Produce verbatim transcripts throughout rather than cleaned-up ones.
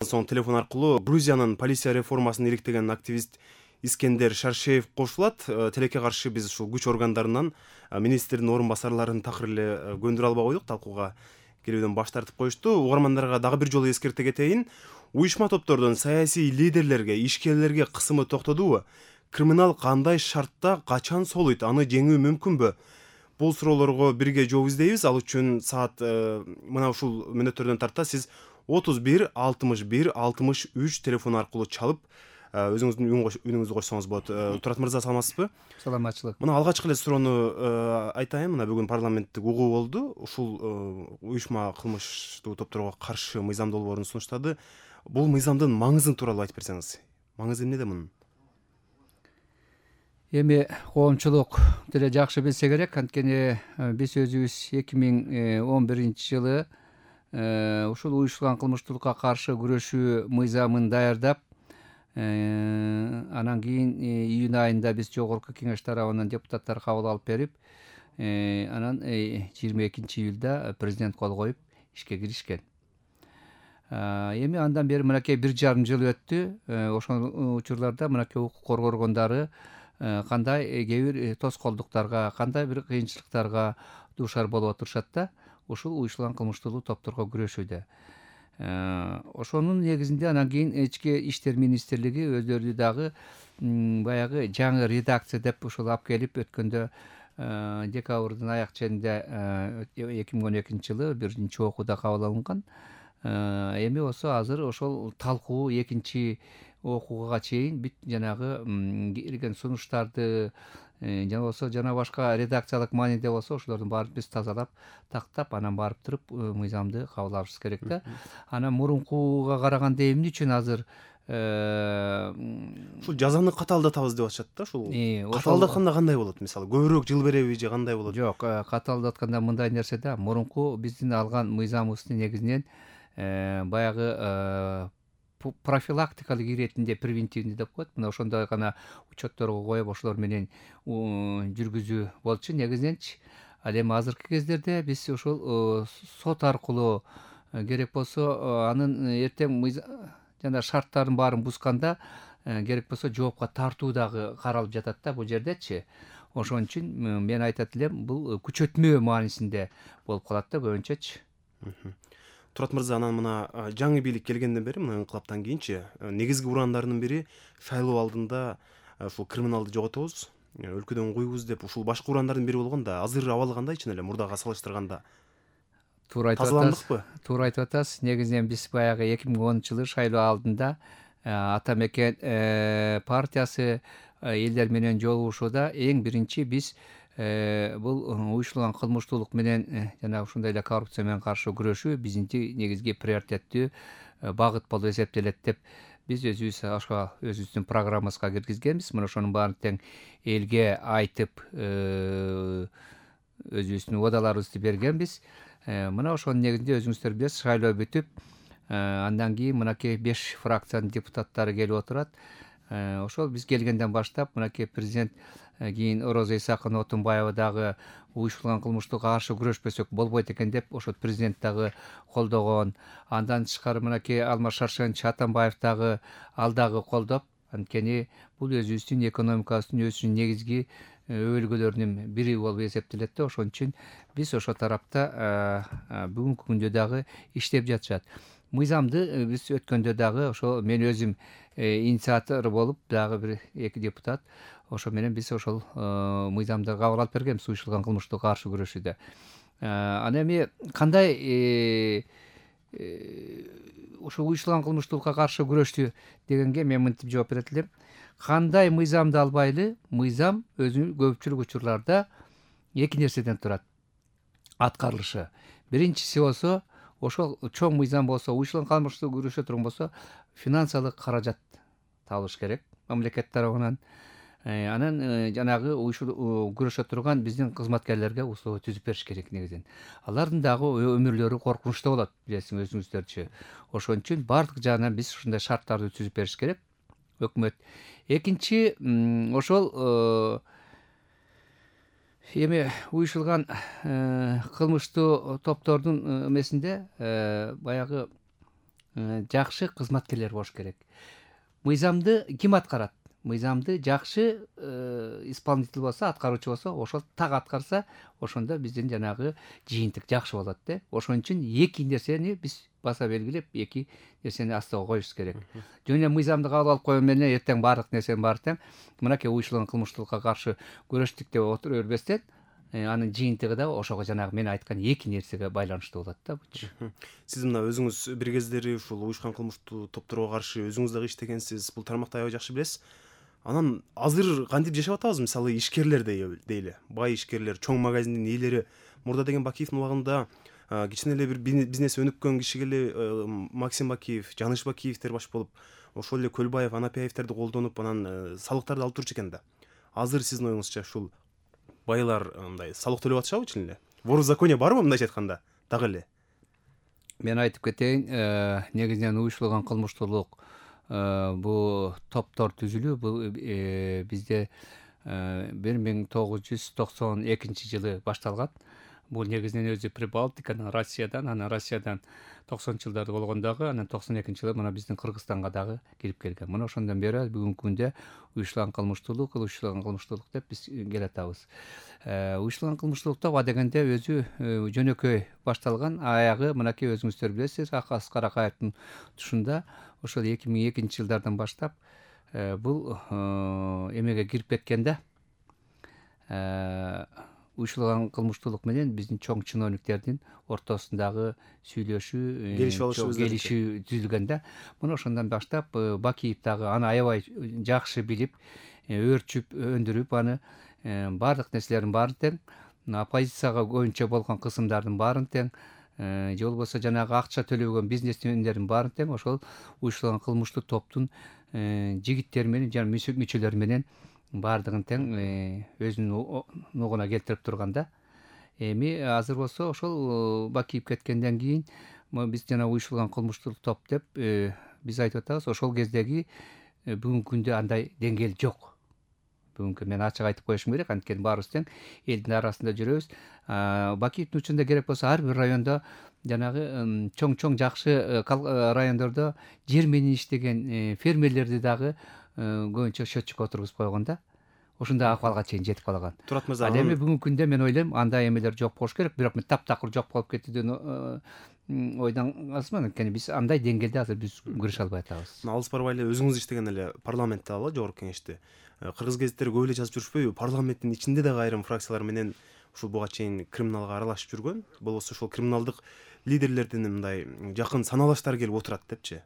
Соң телефон аркылуу Грузиянын полиция реформасын иликтеген активист Искендер Шаршеев кошулат. Тилекке каршы биз ушул күч органдарынан министрдин орун басарларын такыр эле көндүрө албай койдук, талкууга келүүдөн баш тартып коюшту. Угармандарга дагы бир жолу эскерте кетейин. Уюшма топтордун саясий лидерлерге, ишкерлерге кысымы токтодубу? Криминал кандай шартта качан солуйт? Аны жеңүү мүмкүнбү? Бул суроолорго бирге жооп издейбиз. Ал үчүн саат мына ушул мүнөттөрдөн тарта сиз отуз бир алтымыш бир алтымыш үч телефон аркылуу чалып өзүңүздүн үнүңүздү койсоңуз болот. Турат мырза, саламатсызбы? Саламатчылык. Мына алгачкы эле суроону айтайын. Мына бүгүн парламенттик угуу болду. Ушул уюшма кылмыштуу топторго каршы мыйзам долбоорун сунуштады. Бул мыйзамдын маңызы тууралуу айтып берсеңиз. Маңызы эмнеде мунун? Эми коомчулук деле жакшы билсе керек, анткени биз өзүбүз эки миң он биринчи жылы ушул уюштурулган кылмыштуулукка каршы күрөшүү мыйзамын даярдап, анан кийин июнь айында биз жогорку кеңеш тарабынан депутаттар кабыл алып берип, анан жыйырма экинчи июлда президент кол коюп ишке киришкен. Эми андан бери мынакей бир жарым жыл өттү. Ошол учурларда мынакей укук коргоо органдары кандай кээ бир тоскоолдуктарга, кандай бир кыйынчылыктарга дуушар болуп отурушат да, ушул уюштурулган кылмыштуулук топторго күрөшүүдө. Ошонун негизинде анан кийин ички иштер министрлиги өздөрү дагы баягы жаңы редакция деп ушул алып келип, өткөндө декабрдын аяк ченинде эки миң он экинчи жылы биринчи окууда кабыл алынган. Эми болсо азыр ошол талкуу экинчи окууга чейин бүт жанагы кирген сунуштарды жана болсо жана башка редакциялык мааниде болсо ошолордун баарын биз тазалап, тактап, анан барып туруп мыйзамды кабыл алышыбыз керек да. Анан мурункуга караганда эмне үчүн азыр ушул жазаны катаалдатабыз деп атышат да. Ушул катаалдатканда кандай болот? Мисалы көбүрөөк жыл береби же кандай болот? Жок, катаалдатканда мындай нерсе да. Мурунку биздин алган мыйзамыбыздын негизинен баягы профилактикалык иретинде, превентивный деп коет. Мына ошондой гана учетторго коюп, ошолор менен жүргүзүү болчу негизиненчи. Ал эми азыркы кездерде биз ошол сот аркылуу керек болсо анын эртең жана шарттарын баарын бузганда керек болсо жоопко тартуу дагы каралып жатат да бул жердечи. Ошон үчүн мен айтат элем, бул күчөтмө маанисинде болуп калат да көбүнчөчү. Турат мырза, анан мына жаңы бийлик келгенден бери, мына инкылаптан кийинчи негизги ураандарынын бири шайлоо алдында ушул криминалды жоготобуз, өлкөдөн куйбуз деп ушул башкы ураандардын бири болгон да, азыр абал кандай чын эле мурдага салыштырганда? Туура айтып атасыз. Туура айтып атасыз. Негизинен биз баягы эки миң онунчу жылы шайлоо алдында Ата Мекен партиясы элдер менен жолугушууда эң биринчи биз бул уюштурулган кылмыштуулук менен жана ушундай эле коррупция менен каршы күрөшүү биздин негизги приоритеттүү багыт болуп эсептелет деп биз өзүбүз ошо өзүбүздүн программабызга киргизгенбиз. Мына ошонун баарын тең элге айтып өзүбүздүн убадаларыбызды бергенбиз. Мына ошонун негизинде өзүңүздөр билесиз, шайлоо бүтүп, андан кийин мынакей беш фракциянын депутаттары келип отурат. Ошол биз келгенден баштап мынакей президент кийин Роза Исаковна Отунбаева дагы уюштурулган кылмыштуулукка каршы күрөшпөсөк болбойт экен деп ошол президент дагы колдогон. Андан тышкары мынакей Алмаз Шаршенович Атамбаев дагы ал дагы колдоп, анткени бул өзүбүздүн экономикабыздын өсүүнүн негизги өбөлгөлөрүнүн бири болуп эсептелет да. Ошон үчүн биз ошол тарапта бүгүнкү күндө дагы иштеп жатышат. Мыйзамды биз өткөндө дагы ошо мен өзүм инициатор болуп, дагы бир эки депутат ошо менен биз ошол мыйзамды кабыл алып бергенбиз уюштурулган кылмыштуулукка каршы күрөшүүдө. Анан эми кандай ушул уюштурулган кылмыштуулукка каршы күрөштү дегенге мен мынтип жооп берет элем. Кандай мыйзамды албайлы, мыйзам өзү көпчүлүк учурларда эки нерседен турат аткарылышы. Биринчиси болсо, ошол чоң мыйзам болсо, уюштурулган кылмыштуулукка күрөшө турган болсо, финансылык каражат табылыш керек мамлекет тарабынан. Анан жанагы күрөшө турган биздин кызматкерлерге условия түзүп бериш керек негизинен. Алардын дагы өмүрлөрү коркунучта болот, билесиң өзүңүздөрчү. Ошон үчүн бардык жагынан биз ушундай шарттарды түзүп бериш керек өкмөт. Экинчи, ошол эми уюштурулган кылмыштуу топтордун эмесинде баягы жакшы кызматкерлер болуш керек. Мыйзамды ким аткарат? Мыйзамды жакшы исполнитель болсо, аткаруучу болсо, ошол так аткарса, ошондо биздин жанагы жыйынтык жакшы болот да. Ошон үчүн эки нерсени биз баса белгилеп, эки нерсени астыга коюшубуз керек. Жөн эле мыйзамды кабыл алып койгон менен эртең баардык нерсенин баары тең мынакей уюштурулган кылмыштуулукка каршы күрөштүк деп отура бербестен, анын жыйынтыгы да ошого жанагы мен айткан эки нерсеге байланыштуу болот да. Сиз мына өзүңүз бир кездери ушул уюшкан кылмыштуу топторго каршы өзүңүз дагы иштегенсиз, бул тармакты аябай жакшы билесиз. Анан азыр кантип жашап атабыз, мисалы ишкерлер дейли, бай ишкерлер, чоң магазиндин ээлери. Мурда деген Бакиевдин убагында кичине эле бир бизнес өнүккөн кишиге эле Максим Бакиев, Жаныш Бакиевдер баш болуп, ошол эле Көлбаев, Анапиевтерди колдонуп, анан салыктарды алып турчу экен да. Азыр сиздин оюңузча ушул байлар мындай салык төлөп атышабы чын эле? Ворозаконие барбы мындайча айтканда? Дагы эле. Мен айтып кетейин, негизинен уюштурулган кылмыштуулук бул топтор түзүлүү бул бизде бир миң тогуз жүз токсон экинчи жылы башталган. Бул негизинен өзү Прибалтикадан, Россиядан, анан Россиядан токсонунчу жылдарда болгондогу, анан токсон экинчи жылы мына биздин Кыргызстанга дагы кирип келген. Мына ошондон бери бүгүнкү күндө уюштурулган кылмыштуулук, уюштурулган кылмыштуулук деп биз келатабыз. Уюштурулган кылмыштуулукта баа дегенде өзү жөнөкөй башталган, аягы мынакей өзүңүздөр билесиз, Аскар Акаевдин тушунда ошол эки миң экинчи жылдардан баштап бул эмеге кирип кеткен да. Уюштурулган кылмыштуулук менен биздин чоң чиновниктердин ортосундагы сүйлөшүү, келишүү түзүлгөн да. Мына ошондон баштап Бакиев дагы аны аябай жакшы билип, өөрчүп, өндүрүп, аны баардык нерселердин баарын тең, оппозицияга көбүнчө болгон кысымдардын баарын тең, же болбосо жанагы акча төлөгөн бизнесмендердин баарын тең ошол уюштурулган кылмыштуу топтун жигиттери менен жана мүчөлөрү менен баардыгын тең өзүнүн нугуна келтирип турган да. Эми азыр болсо ошол Бакиев кеткенден кийин биз жана уюштурулган кылмыштуу топ деп биз айтып атабыз. Ошол кездеги бүгүнкү күндө андай деңгээл жок. Бүгүнкү мен ачык айтып коюшум керек, анткени баарыбыз тең элдин арасында жүрөбүз. Бакиевдин учурунда керек болсо ар бир райондо жанагы чоң-чоң жакшы райондордо жер менен иштеген фермерлерди дагы көбүнчө счетчикке отургузуп койгон да. Ошондой акыбалга чейин жетип калган. Турат мырза, ал эми бүгүнкү күндө мен ойлойм андай эмелер жок болуш керек, бирок мен таптакыр жок болуп кетүүдөн ойдон азмын, анткени биз андай деңгээлде азыр биз күрөшө албай атабыз. Алыс барбай эле өзүңүз иштеген эле парламентте ала жогорку кеңеште кыргыз гезиттери көп эле жазып жүрүшпөйбү? Парламенттин ичинде дагы айрым фракциялар менен ушул буга чейин криминалга аралашып жүргөн, болбосо ошол криминалдык лидерлердин мындай жакын саналаштары келип отурат депчи.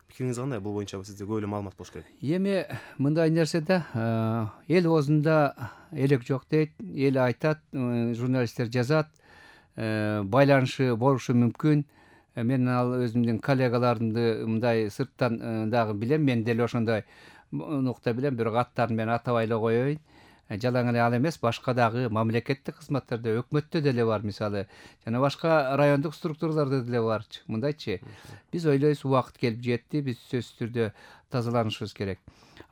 Пикириңиз кандай? Бул боюнча сизде көп эле маалымат болуш керек. Эми мындай нерсе да, эл оозунда элек жок дейт, эл айтат, журналисттер жазат, байланышы болушу мүмкүн. Мен ал өзүмдүн коллегаларымды мындай сырттан дагы билем, мен деле ошондой нукта билем, бирок аттарын мен атабай эле коеюн. Жалаң эле ал эмес, башка дагы мамлекеттик кызматтарда, өкмөттө деле бар, мисалы, жана башка райондук структураларда деле бар. Мындайчы, биз ойлойбуз, убакыт келип жетти, биз сөзсүз түрдө тазаланышыбыз керек.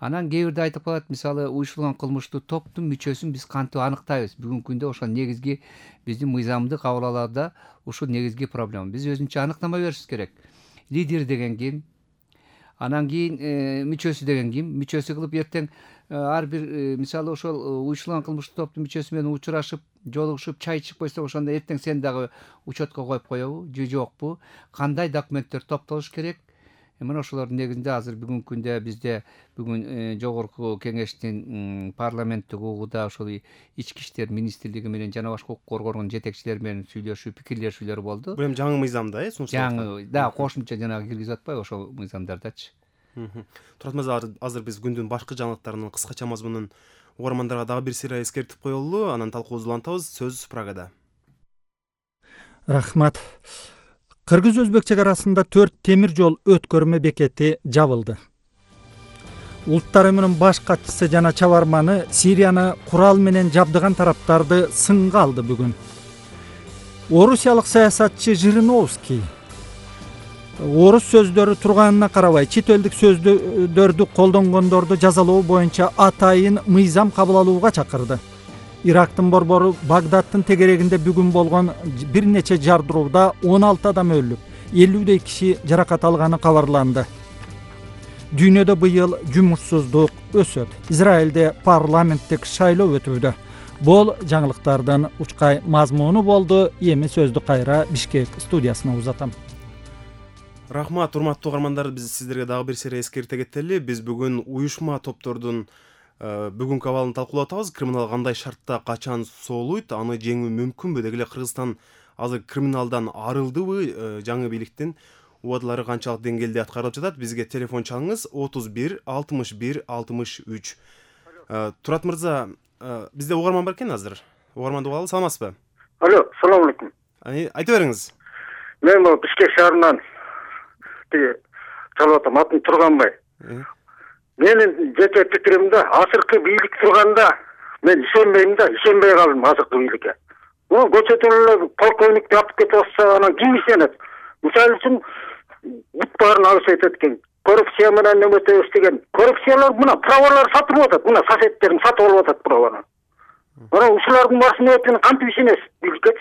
Анан кээ бирде айтып калат, мисалы, уюштурулган кылмыштуу топтун мүчөсүн биз кантип аныктайбыз? Бүгүнкү күндө ошол негизги биздин мыйзамдык кабылаларда ушул негизги проблема. Биз өзүнчө аныктама беришибиз керек. Лидер деген ким? Анан кийин мүчөсү деген ким? Мүчөсү кылып эртең ар бир мисалы ошол уюштурулган кылмыштуу топтун мүчөсү менен учурашып, жолугушуп, чай ичип койсо, ошондо эртең сен дагы учетко коюп коебу же жокпу? Кандай документтер топтолуш керек? Мына ошолордун негизинде азыр бүгүнкү күндө бизде бүгүн жогорку кеңештин парламенттик угууда ошол ички иштер министрлиги менен жана башка укук коргоонун жетекчилери менен сүйлөшүү, пикирлешүүлөр болду. Бул эми жаңы мыйзамда, э, сунушталган. Жаңы, да, кошумча жанагы киргизип атпайбы ошол мыйзамдардачы. Турат мырза, азыр биз күндүн башкы жаңылыктарынын кыскача мазмунун угармандарга дагы бир сыйра эскертип коелу, анан талкуубузду улантабыз. Сөз Прагада. Рахмат. Кыргыз-Өзбек чек арасында төрт темир жол өткөрмө бекети жабылды. Улуттар уюмунун баш катчысы жана чабарманы Сирияны курал менен жабдыган тараптарды сынга алды бүгүн. Орусиялык саясатчы Жириновский орус сөздөрү турганына карабай чет элдик сөздөрдү колдонгондорду жазалоо боюнча атайын мыйзам кабыл алууга чакырды. Ирактын борбору Багдадтын тегерегинде бүгүн болгон бир нече жардырууда он алты адам өлүп, элүүдөй киши жаракат алганы кабарланды. Дүйнөдө быйыл жумушсуздук өсөт. Израилде парламенттик шайлоо өтүүдө. Бул жаңылыктардын учкай мазмуну болду. Эми сөздү кайра Бишкек студиясына узатам. Рахмат, урматтуу угармандар, биз сиздерге дагы бир сере эскерте кетели. Биз бүгүн уюшма топтордун бүгүнкү абалын талкуулап атабыз. Криминал кандай шартта качан соолуйт, аны жеңүү мүмкүнбү? Деги эле Кыргызстан азыр криминалдан арылдыбы? Жаңы бийликтин убадалары канчалык деңгээлде аткарылып жатат? Бизге телефон чалыңыз отуз бир алтымыш бир алтымыш үч. Турат мырза, бизде угарман бар экен азыр. Угарманды угалы, саламатсызбы? Алло, салам алейкум. Айта бериңиз. Мен бул Бишкек шаарынан чалып атам, атым Турганбай. Менин жеке пикиримде, азыркы бийлик турганда мен ишенбейм да, ишенбей калдым азыркы бийликке. О, көчөтөн эле полковникти атып кетип атса, анан ким ишенет? Мисалы үчүн бүт баарын алып айтат экен. Коррупция менен неметебиз деген. Коррупциялар мына правалар сатылып атат, мына соседтерин сатып алып атат праваны. Анан ушулардын башына өтүн кантип ишенесиз бийликке?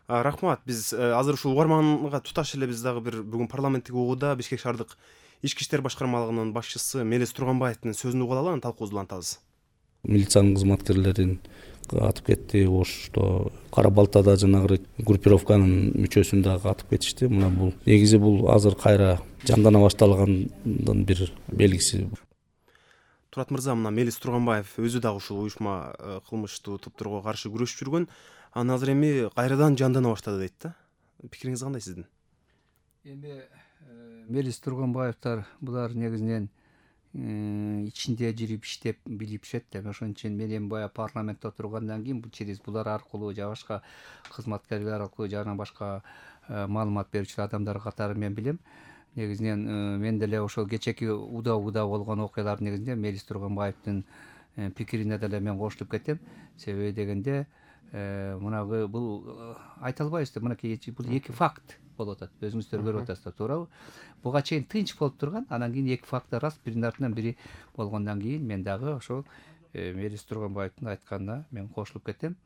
Рахмат, биз азыр ушул угарманга туташ эле биз дагы бир бүгүн парламенттик угууда Бишкек шаардык ички иштер башкармалыгынын башчысы Мелис Турганбаевдин сөзүн угуп алалы, анан талкуубузду улантабыз. Милициянын кызматкерлерин атып кетти, Ошто Кара Балтада жанагы группировканын мүчөсүн дагы атып кетишти. Мына бул негизи бул азыр кайра жандана башталгандын бир белгиси. Турат мырза, мына Мелис Турганбаев өзү дагы ушул уюшма кылмыштуу топторго каршы күрөшүп жүргөн, анан азыр эми кайрадан жандана баштады дейт да. Пикириңиз кандай сиздин? Эми Мелис Турганбаевдер булар негизинен ичинде жүрүп иштеп билишет да. Ошон үчүн мен эми бая парламентте отургандан кийин бул через булар аркылуу же башка кызматкерлер аркылуу жана башка маалымат берүүчү адамдар катары мен билем. Негизинен мен деле ошол кечеки уда уда болгон окуялар негизинде Мелис Турганбаевдин пикирине деле мен кошулуп кетем. Себеби дегенде мынагы бул айта албайбыз да, мынакей бул эки факт болуп атат. Өзүңүздөр көрүп атасыздар, туурабы? Буга чейин тынч болуп турган, анан кийин эки факт рас биринин артынан бири болгондон кийин мен дагы ошол Мелис Турганбаевдин айтканына мен кошулуп кетем.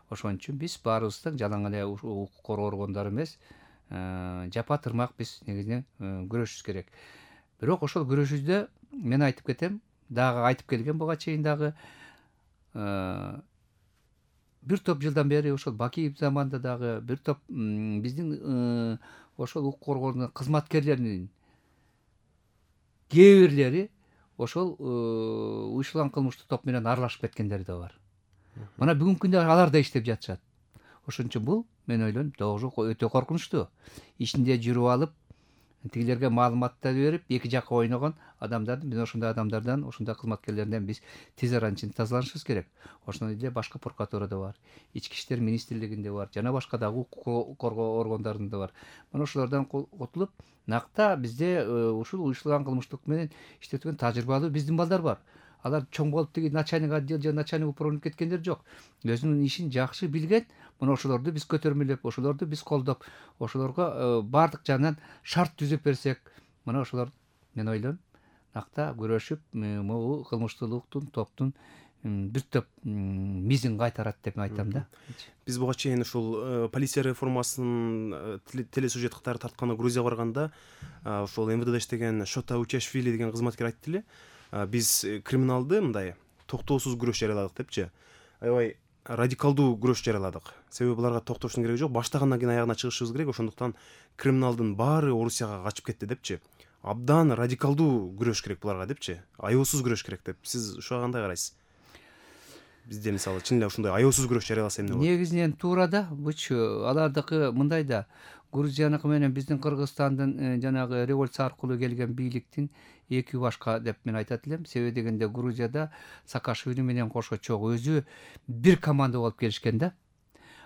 Ошон үчүн биз баарыбыз тең жалаң эле укук коргоо органдары эмес, жапа тырмак биз негизинен күрөшүбүз керек. Бирок ошол күрөшүүдө мен айтып кетем, дагы айтып келген буга чейин дагы бир топ жылдан бери ошол Бакиев заманда дагы бир топ биздин ошол укук коргоонун кызматкерлеринин кээ бирлери ошол уюшулган кылмыштуу топ менен аралашып кеткендери да бар. Мына бүгүнкү күндө алар да иштеп жатышат. Ошон үчүн бул мен ойлойм тоже өтө коркунучтуу. Ичинде жүрүп алып, тигилерге маалыматтар берип, эки жакка ойногон адамдардын, биз ошондой адамдардан, ошондой кызматкерлерден биз тез аранча тазаланышыбыз керек. Ошондой эле башка прокуратурада бар, ички иштер министрлигинде бар, жана башка дагы укук коргоо органдарында бар. Мына ошолордон кутулуп, накта бизде ушул уюштурулган кылмыштык менен иштеткен тажрыйбалуу биздин балдар бар. Алар чоң болуп тиги начальник отдел же начальник управление кеткендер жок. Өзүнүн ишин жакшы билген, мына ошолорду биз көтөрмөлөп, ошолорду биз колдоп, ошолорго баардык жагынан шарт түзүп берсек, мына ошолор мен ойлойм, накта күрөшүп, могу кылмыштуулуктун топтун бир топ мизин кайтарат деп айтам да. Биз буга чейин ушул полиция реформасынын телесюжет катары тартканы Грузияга барганда, ошол эм вэ дэ иштеген Шота Учашвили деген кызматкер айтты эле. Биз криминалды мындай токтоосуз күрөш жарыяладык депчи. Аябай радикалдуу күрөш жарыяладык. Себеби буларга токтоштун кереги жок. Баштагандан кийин аягына чыгышыбыз керек. Ошондуктан криминалдын баары Орусияга качып кетти депчи. Абдан радикалдуу күрөш керек буларга депчи. Аеосуз күрөш керек деп. Сиз ушуга кандай карайсыз? Бизде мисалы чын эле ушундай аеосуз күрөш жарыяласа эмне болот? Негизинен туура да, буч алардыкы мындай да. Грузияныкы менен биздин Кыргызстандын жанагы революция аркылуу келген бийликтин эки башка деп мен айтат элем. Себеби дегенде Грузияда Саакашвили менен кошо чогуу өзү бир команда болуп келишкен да.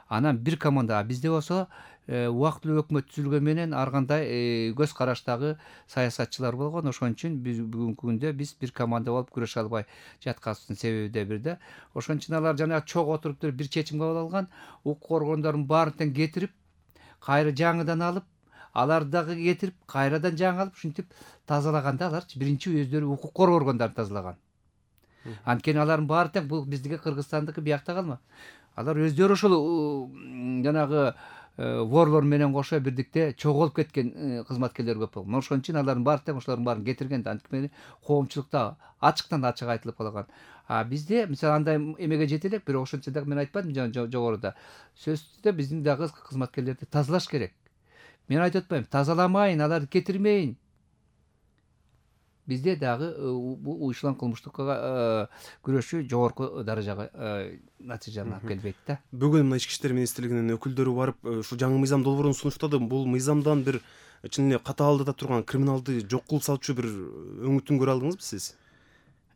Анан бир команда, а бизде болсо убактылуу өкмөт түзүлгөн менен ар кандай көз караштагы саясатчылар болгон. Ошон үчүн биз бүгүнкү күндө биз бир команда болуп күрөшө албай жатканыбыздын себеби да бир да. Ошон үчүн алар жана чогуу отуруп туруп бир чечим кабыл алган, укук коргондорун баарын тең кетирип, кайра жаңыдан алып, алар дагы кетирип, кайрадан жаңы алып, ушинтип тазалаганда аларчы биринчи өздөрү укук коргоо органдарын тазалаган. Анткени алардын баары тең бул биздики Кыргызстандыкы биякта калма. Алар өздөрү ошол жанагы ворлор менен кошо бирдикте чогулуп кеткен кызматкерлер көп болгон. Ошон үчүн алардын баары тең ошолордун баарын кетирген да, антип менен коомчулукта ачыктан ачык айтылып калган. А бизде мисалы андай эмеге жете элек, бирок ошончо дагы мен айтпадым жогоруда. Сөзсүз түрдө биздин дагы кызматкерлерди тазалаш керек. Мен айтып атпайм, тазаламайын, аларды кетирмейин. Бизде дагы бул уюшулган кылмыштыкка күрөшүү жогорку даражага натыйжаны алып келбейт да. Бүгүн мына ички иштер министрлигинин өкүлдөрү барып ушу жаңы мыйзам долбоорун сунуштады. Бул мыйзамдан бир чын эле катаалдыда турган криминалды жок кылып салчу бир өңүтүн көрө алдыңызбы сиз?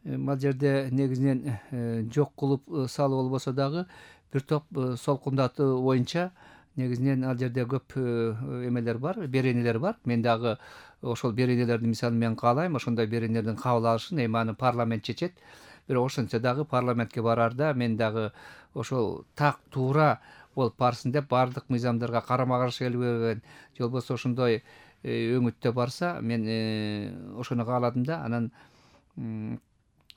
Ал жерде негизинен жок кылып салуу болбосо дагы бир топ солкундатуу боюнча негизинен ал жерде көп эмелер бар, беренелер бар. Мен дагы ошол беренелерди мисалы мен каалайм, ошондой беренелердин кабыл алышын, эми аны парламент чечет. Бирок ошончо дагы парламентке барарда мен дагы ошол так туура болуп барсын деп баардык мыйзамдарга карама каршы келбеген, же болбосо ошондой өңүттө барса, мен ошону кааладым да. Анан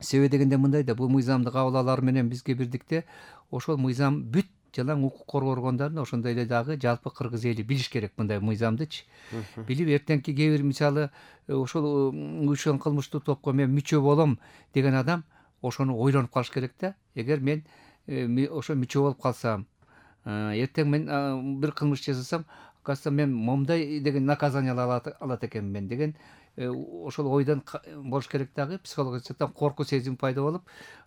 себеби дегенде мындай да, бул мыйзамды кабыл алар менен бизге бирдикте ошол мыйзам бүт жалаң укук коргоо органдарын ошондой эле дагы жалпы кыргыз эли билиш керек мындай мыйзамдычы. Билип эртеңки кээ бир мисалы ошол уюшкан кылмыштуу топко мен мүчө болом деген адам ошону ойлонуп калыш керек да. Эгер мен ошо мүчө болуп калсам, эртең мен бир кылмыш жасасам, оказывается мен момундай деген наказание алат экенмин деген ошол ойдон болуш керек дагы. Психологически коркуу сезим пайда болуп,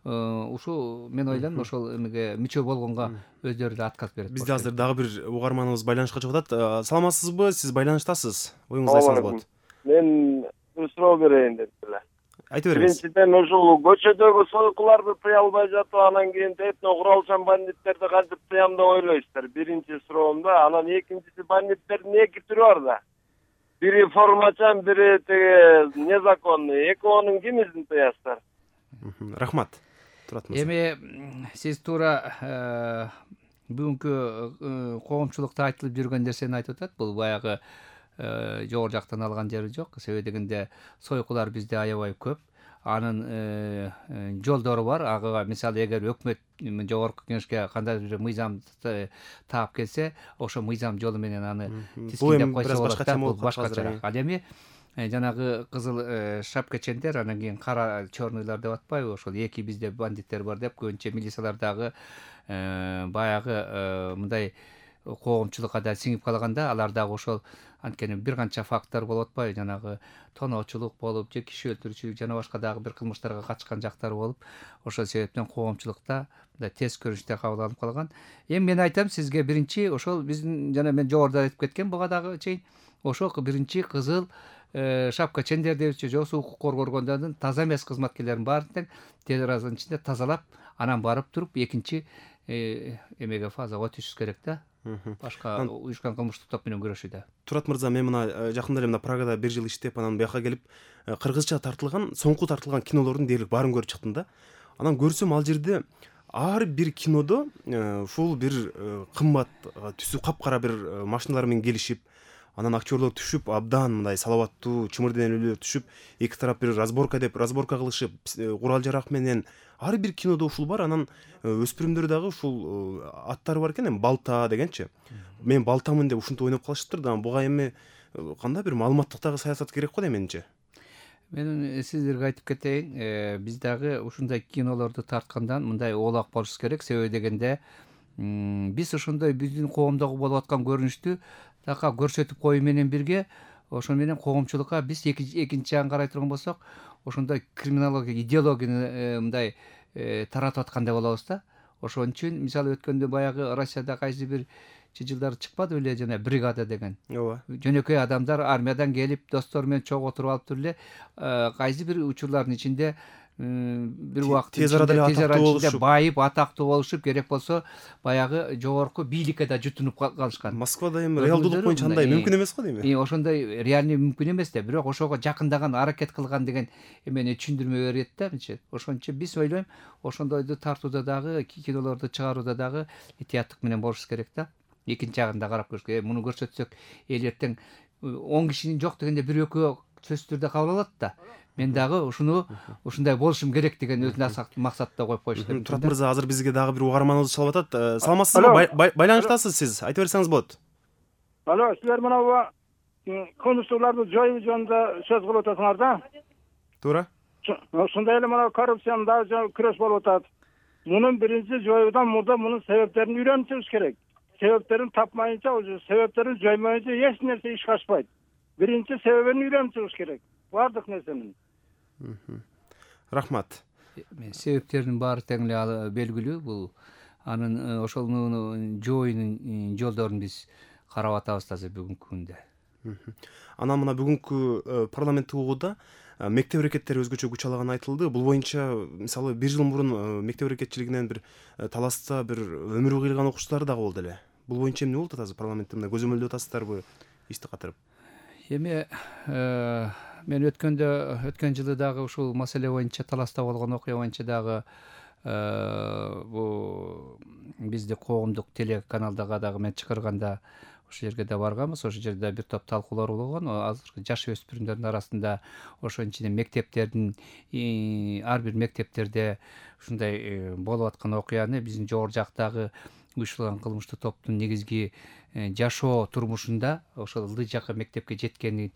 ушу мен ойлойм ошол эмеге мүчө болгонго өздөрү да отказ берет. Бизде азыр дагы бир угарманыбыз байланышка чыгып атат. Саламатсызбы? Сиз байланыштасыз. Оюңузду айтсаңыз болот. Мен бир суроо берейин деп эле. Айта бериңиз. Биринчиден ушул көчөдөгү сойкуларды тыя албай жатып, анан кийин этно куралчан бандиттерди кантип тыям деп ойлойсуздар? Биринчи суроом да. Анан экинчиси, бандиттердин эки түрү бар да. Бири формачан, бири теге незаконный. Экөөнүн кимисин тыясыздар? Рахмат. Турат мырза. Эми сиз туура бүгүнкү коомчулукта айтылып жүргөн нерсени айтып атат. Бул баягы жогору жактан алган жери жок. Себеби дегенде сойкулар бизде аябай көп. Анын жолдору бар. Ага мисалы эгер өкмөт жогорку кеңешке кандай бир мыйзам таап келсе, ошо мыйзам жолу менен аны тискиндеп койсо болот да. Бул башкача. Ал эми жанагы кызыл шапкачендер, анан кийин кара черныйлар деп атпайбы, ошол эки бизде бандиттер бар деп көбүнчө милициялар дагы баягы мындай коомчулукка да сиңип калганда, алар дагы ошол анткени бир канча факттар болуп атпайбы, жанагы тоноочулук болуп, же киши өлтүрүүчүлүк жана башка дагы бир кылмыштарга катышкан жактар болуп, ошол себептен коомчулукта мындай тез көрүнүштө кабыл алынып калган. Эми мен айтам сизге, биринчи ошол биздин жана мен жогоруда айтып кеткен буга дагы чейин, ошол биринчи кызыл шапка чендер депчи, же укук коргоо органдарынын таза эмес кызматкерлерин баарын тең тез аранын ичинде тазалап, анан барып туруп экинчи эмеге фазага өтүшүш керек да. Башка уюшкан кылмыштык топ менен күрөшүүдө. Турат мырза, мен мына жакында эле мына Прагада бир жыл иштеп, анан бияка келип кыргызча тартылган, соңку тартылган кинолордун дээрлик баарын көрүп чыктым да. Анан көрсөм ал жерде ар бир кинодо ушул бир кымбат түсү капкара бир машиналар менен келишип, анан актерлор түшүп, абдан мындай салаваттуу чымыр денелүүлөр түшүп, эки тарап бир разборка деп разборка кылышып, курал жарак менен ар бир кинодо ушул бар. Анан өспүрүмдөр дагы ушул аттары бар экен, эми балта дегенчи. Мен балтамын деп ушинтип ойноп калышыптыр да. Буга эми кандай бир маалыматтык дагы саясат керек го да менимче. Мен сиздерге айтып кетейин, биз дагы ушундай кинолорду тарткандан мындай оолак болушубуз керек. Себеби дегенде биз ошондой биздин коомдогу болуп аткан көрүнүштү така көрсөтүп коюу менен бирге, ошон менен коомчулукка биз экинчи жагын карай турган болсок, ошондой криминология идеологияны мындай таратып аткандай болобуз да. Ошон үчүн мисалы өткөндө баягы Россияда кайсы бир жылдары чыкпады беле, жана бригада деген. Ооба. Жөнөкөй адамдар армиядан келип, достору менен чогуу отуруп алып туруп эле кайсы бир учурлардын ичинде бир убакыт тез арада эле атактуу болушуп, байып, атактуу болушуп, керек болсо баягы жогорку бийликке да жутунуп калышкан. Москвада эми реалдуулук боюнча андай мүмкүн эмес го дейм. И ошондой реальный мүмкүн эмес да, бирок ошого жакындаган, аракет кылган деген эмени түшүндүрмө берет да менчи. Ошон үчүн биз ойлойм, ошондойду тартууда дагы, кинолорду чыгарууда дагы этияттык менен болушубуз керек да. Экинчи жагын да карап көрүш керек. Муну көрсөтсөк, эл эртең он кишинин жок дегенде бир экөө сөзсүз түрдө кабыл алат да. Мен дагы ушуну ушундай болушум керек деген өзүнө максатта коюп коюш керек. Турат мырза, азыр бизге дагы бир угарманыбыз чалып атат. Саламатсызбы? Байланыштасыз сиз. Айта берсеңиз болот. Алло, силер мына конституцияларды жоюу жөнүндө сөз кылып атасыңар да. Туура. Ошондой эле мына коррупцияны дагы күрөш болуп атат. Мунун биринчи жоюудан мурда мунун себептерин үйрөнүшүбүз керек. Себептерин тапмайынча, себептерин жоймайынча эч нерсе ишке ашпайт. Биринчи себебин үйрөнүшүбүз керек. Бардык нерсенин. Рахмат. Себептердин баары тең эле белгилүү. Бул анын ошонун жоюунун жолдорун биз карап атабыз азыр бүгүнкү күндө. Анан мына бүгүнкү парламенттик угууда мектеп аракеттери өзгөчө күч алганы айтылды. Бул боюнча мисалы бир жыл мурун мектеп аракетчилигинен бир таласта бир өмүрү кыйылган окуучулар дагы болду эле. Бул боюнча эмне болуп атат азыр парламентте, мына көзөмөлдөп атасыздарбы ишти катырып? Эми мен өткөндө өткөн жылы дагы ушул маселе боюнча таласта болгон окуя боюнча дагы бул бизде коомдук телеканалдага дагы мен чакырганда ошол жерге да барганбыз. Ошол жерде бир топ талкуулар болгон. Азыркы жаш өспүрүмдөрдүн арасында ошонун ичинде мектептердин ар бир мектептерде ушундай болуп аткан окуяны биздин жогору жактагы уюштурулган кылмыштуу топтун негизги жашоо турмушунда ошол ылдый жакка мектепке жеткени,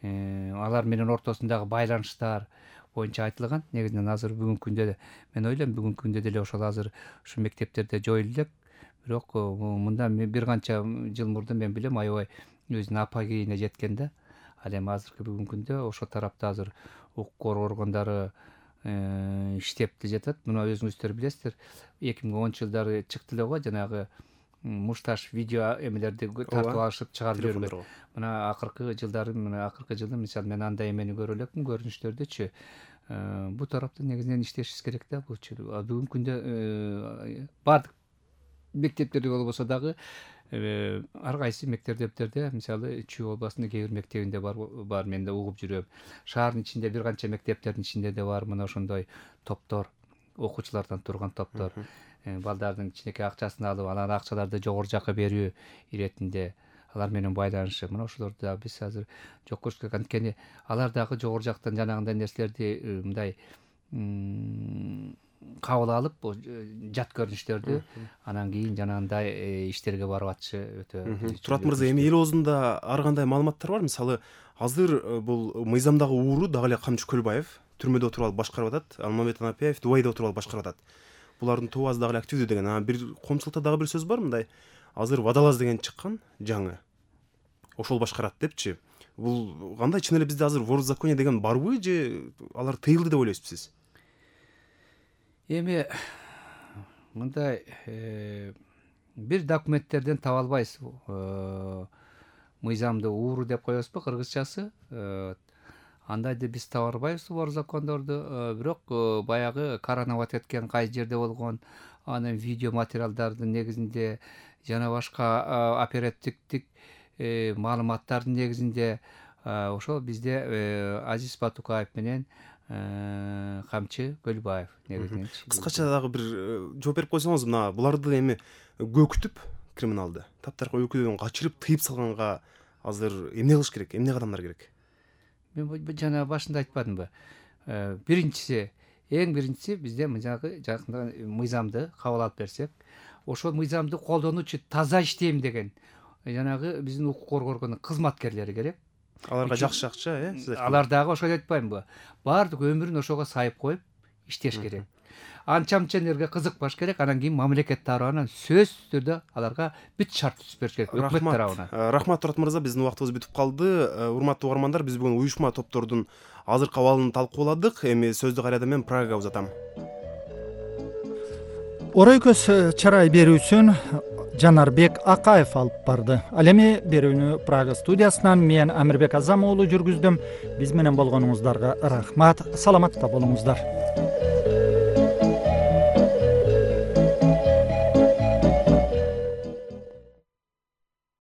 алар менен ортосундагы байланыштар боюнча айтылган. Негизинен азыр бүгүнкү күндө мен ойлойм бүгүнкү күндө деле ошол азыр ушул мектептерде жоюлу элек. Бирок мындан бир канча жыл мурдун мен билем аябай өзүнүн апогейине жеткен да. Ал эми азыркы бүгүнкү күндө ошол тарапта азыр укук коргоо органдары иштеп жатат. Мына өзүңүздөр билесиздер, эки миң онунчу жылдары чыкты эле го жанагы мушташ видео эмелерди тартып алышып чыгарып жибергөн. Мына акыркы жылдары, мына акыркы жылы мисалы мен андай эмени көрө элекмин көрүнүштөрдөчү. Бул тарапта негизинен иштешибиз керек да. Булчу бүгүнкү күндө бардык мектептерде болбосо дагы ар кайсы мектептерде мисалы Чүй областынын кээ бир мектебинде бар бар мен да угуп жүрөм. Шаардын ичинде бир канча мектептердин ичинде да бар мына ошондой топтор, окуучулардан турган топтор. Балдардын кичинекей акчасын алып, анан акчаларды жогору жакка берүү иретинде алар менен байланышы. Мына ошолорду да биз азыр жок көрүш керек. Анткени алар дагы жогору жактан жанагындай нерселерди мындай кабыл алып, жат көрүнүштөрдү анан кийин жанагындай иштерге барып атышы өтө. Турат мырза, эми эл оозунда ар кандай маалыматтар бар? Мисалы, азыр бул мыйзамдагы ууру дагы эле Камчы Көлбаев түрмөдө отуруп алып башкарып атат. Алмамбет Анапиев Дубайда отуруп алып башкарып атат. Булардын тобасы дагы эле активдүү деген. Анан бир коомчулукта дагы бир сөз бар мындай. Азыр Водолаз деген чыккан жаңы. Ошол башкарат депчи. Бул кандай, чын эле бизде азыр ворзаконие деген барбы же алар тыйылды деп ойлойсузбу сиз? Эми мындай бир документтерден таба албайсыз. Мыйзамды ууру деп коесузбу кыргызчасы. Андайды биз таба албайбыз бар закондорду. Бирок баягы каранабат эткен кайсы жерде болгон, анын видео материалдардын негизинде жана башка оперативдик маалыматтардын негизинде ошол бизде Азиз Батукаев менен Камчы Көлбаев негизинен. Кыскача дагы бир жооп берип койсоңуз, мына буларды эми көкүтүп криминалды таптаркы өлкөдөн качырып тыйып салганга азыр эмне кылыш керек, эмне кадамдар керек? Мен жана башында айтпадымбы? Биринчиси, эң биринчиси бизде жанагы жакында мыйзамды кабыл алып берсек, ошол мыйзамды колдонуучу таза иштейм деген жанагы биздин укук коргоо органынын кызматкерлери керек. Аларга жакшы акча, э? Алар дагы ошол айтпаймынбы? Бардык өмүрүн ошого сайып коюп иштеш керек. Анча-мынча нерге кызыкпаш керек, анан кийин мамлекет тарабынан сөзсүз түрдө аларга бүт шарт түзүп бериш керек өкмөт тарабынан. Рахмат Турат мырза, биздин убактыбыз бүтүп калды. Урматтуу угармандар, биз бүгүн уюшма топтордун азыркы абалын талкууладык. Эми сөздү кайрадан мен Прагага узатам. Орой көз чарай берүүсүн Жанарбек Акаев алып барды. Ал эми берүүнү Прага студиясынан мен Амирбек Азам уулу жүргүздүм. Биз менен болгонуңуздарга рахмат. Саламатта болуңуздар.